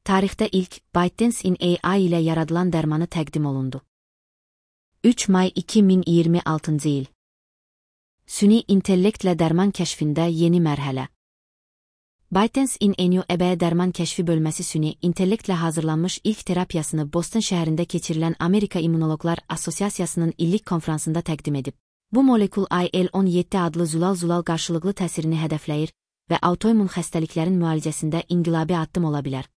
tarixdə ilk ByteDance in AI ilə yaradılan dərmanı təqdim olundu. 3 may 2026 il. Süni intellektlə dərman kəşfində yeni mərhələ. ByteDance in AI dərman kəşfi bölməsi süni intellektlə hazırlanmış ilk terapiyasını Boston şəhərində keçirilən Amerika İmmunoloqlar Assosiasiyasının illik konfransında təqdim edib. Bu molekul IL-17 adlı zulal qarşılıqlı təsirini hədəfləyir və autoimmun xəstəliklərin müalicəsində inqilabi addım ola bilər.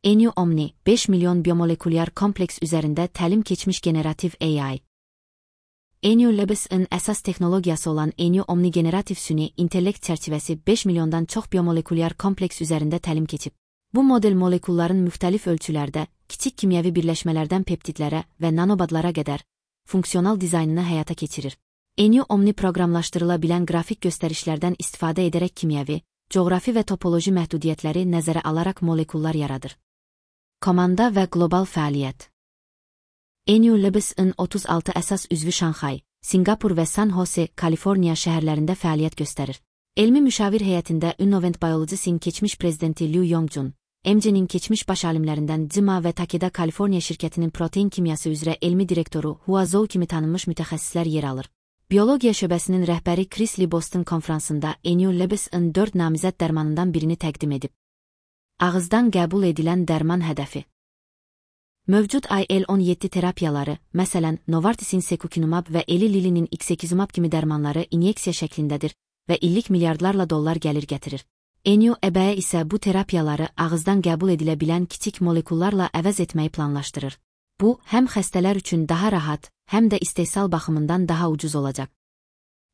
EnUOmni 5 milyon biomolekulyar kompleks üzərində təlim keçmiş generativ AI. EnULabs-ın əsas texnologiyası olan EnUOmni generativ süni intellekt çərçivəsi 5 milyondan çox biomolekulyar kompleks üzərində təlim keçib. Bu model molekulların müxtəlif ölçülərdə, kiçik kimyəvi birləşmələrdən peptidlərə və nanobadlara qədər funksional dizaynını həyata keçirir. EnUOmni proqramlaşdırıla bilən qrafik göstərişlərdən istifadə edərək kimyəvi, coğrafi və topoloji məhdudiyyətləri nəzərə alaraq molekullar yaradır. Komanda və qlobal fəaliyyət. EnULabs-ın 36 əsas üzvü Şanxay, Singapur və San Jose, Kaliforniya şəhərlərində fəaliyyət göstərir. Elmi müşavir heyətində Innovent Biologics'in keçmiş prezidenti Liu Yongjun, MC'nin keçmiş baş alimlərindən Cima və Takeda Kaliforniya şirkətinin protein kimyası üzrə elmi direktoru Hua Zhou kimi tanınmış mütəxəssislər yer alır. Biologiya şöbəsinin rəhbəri Chris Lee Boston konfransında EnULabs-ın 4 namizəd dərmanından birini təqdim edib. Ağızdan qəbul edilən dərman hədəfi. Mövcud IL-17 terapiyaları, məsələn, Novartis'in Secukinumab və Eli Lilly'nin Ixekizumab kimi dərmanları inyeksiya şəklindədir və illik milyardlarla dollar gəlir gətirir. EnUAB isə bu terapiyaları ağızdan qəbul edilə bilən kiçik molekullarla əvəz etməyi planlaşdırır. Bu, həm xəstələr üçün daha rahat, həm də istehsal baxımından daha ucuz olacaq.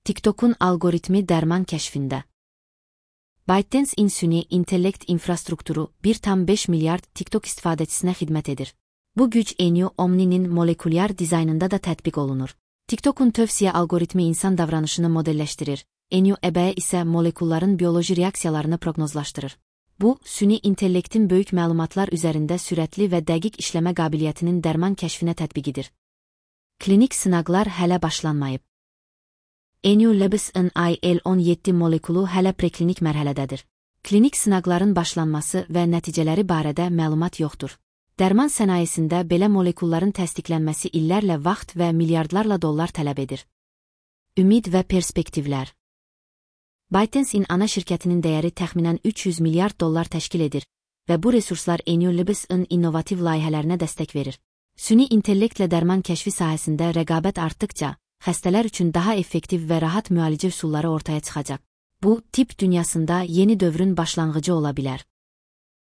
TikTok'un algoritmi dərman kəşfində. ByteDance in süni intellekt infrastrukturu 1,5 milyard TikTok istifadəçisinə xidmət edir. Bu güc EnUOmni'nin molekulyar dizaynında da tətbiq olunur. TikTok'un tövsiyə algoritmi insan davranışını modelləşdirir, EnUAB isə molekulların bioloji reaksiyalarını proqnozlaşdırır. Bu, süni intellektin böyük məlumatlar üzərində sürətli və dəqiq işləmə qabiliyyətinin dərman kəşfinə tətbiqidir. Klinik sınaqlar hələ başlanmayıb. EnULabs-ın IL-17 molekulu hələ preklinik mərhələdədir. Klinik sınaqların başlanması və nəticələri barədə məlumat yoxdur. Dərman sənayesində belə molekulların təsdiqlənməsi illərlə vaxt və milyardlarla dollar tələb edir. Ümid və perspektivlər. ByteDance in ana şirkətinin dəyəri təxminən 300 milyard dollar təşkil edir və bu resurslar EnULabs-ın innovativ layihələrinə dəstək verir. Süni intellektlə dərman kəşfi sahəsində rəqabət artdıqca, xəstələr üçün daha effektiv və rahat müalicə üsulları ortaya çıxacaq. Bu, tibb dünyasında yeni dövrün başlanğıcı ola bilər.